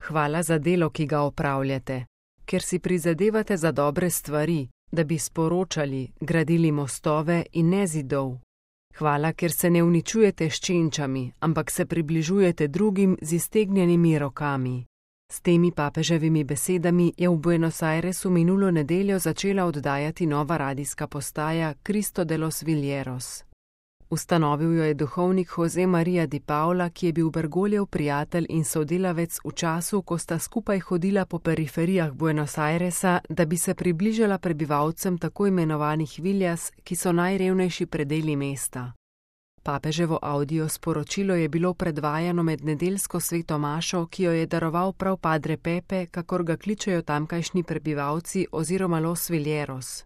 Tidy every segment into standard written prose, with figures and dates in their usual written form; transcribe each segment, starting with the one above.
Hvala za delo, ki ga opravljate, ker si prizadevate za dobre stvari, da bi sporočali, gradili mostove in ne zidov. Hvala, ker se ne uničujete s čenčami, ampak se približujete drugim z iztegnjenimi rokami. S temi papeževimi besedami je v Buenos Airesu minulo nedeljo začela oddajati nova radijska postaja Cristo de los Villeros. Ustanovil jo je duhovnik José María di Paula, ki je bil Bergogljev prijatelj in sodelavec v času, ko sta skupaj hodila po periferijah Buenos Airesa, da bi se približala prebivalcem tako imenovanih villas, ki so najrevnejši predeli mesta. Papeževo audio sporočilo je bilo predvajano med nedeljsko sveto mašo, ki jo je daroval prav Padre Pepe, kakor ga kličejo tamkajšnji prebivalci oziroma Los Villeros.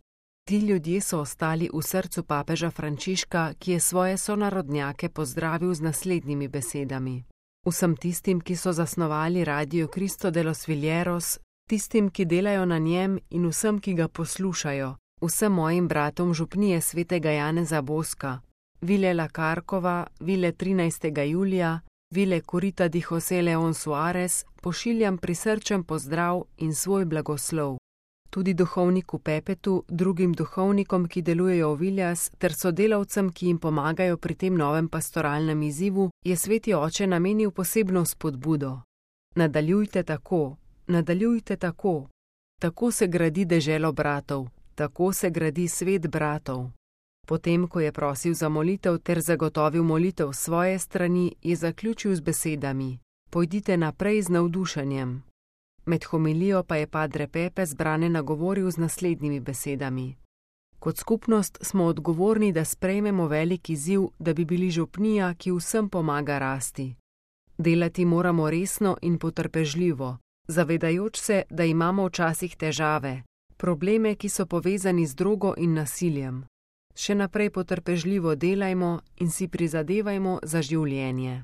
Ti ljudje so ostali v srcu papeža Frančiška, ki je svoje sonarodnjake pozdravil z naslednjimi besedami. Vsem tistim, ki so zasnovali radio Cristo de los Villeros, tistim, ki delajo na njem in vsem, ki ga poslušajo, vsem mojim bratom župnije svetega Janeza Boska, Vile La Carcova, Vile 13. julija, Vile Curita di José León Suárez, pošiljam prisrčen pozdrav in svoj blagoslov. Tudi duhovniku Pepetu, drugim duhovnikom, ki delujejo v Villas, ter sodelavcem, ki jim pomagajo pri tem novem pastoralnem izzivu, je sveti oče namenil posebno spodbudo. Nadaljujte tako, nadaljujte tako. Tako se gradi deželo bratov, tako se gradi svet bratov. Potem, ko je prosil za molitev ter zagotovil molitev svoje strani, je zaključil z besedami: Pojdite naprej z navdušenjem. Med homilijo pa je Padre Pepe zbrane nagovoril z naslednjimi besedami. Kot skupnost smo odgovorni, da sprejmemo velik izziv, da bi bili župnija, ki vsem pomaga rasti. Delati moramo resno in potrpežljivo, zavedajoč se, da imamo včasih težave, probleme, ki so povezani z drogo in nasiljem. Še naprej potrpežljivo delajmo in si prizadevajmo za življenje.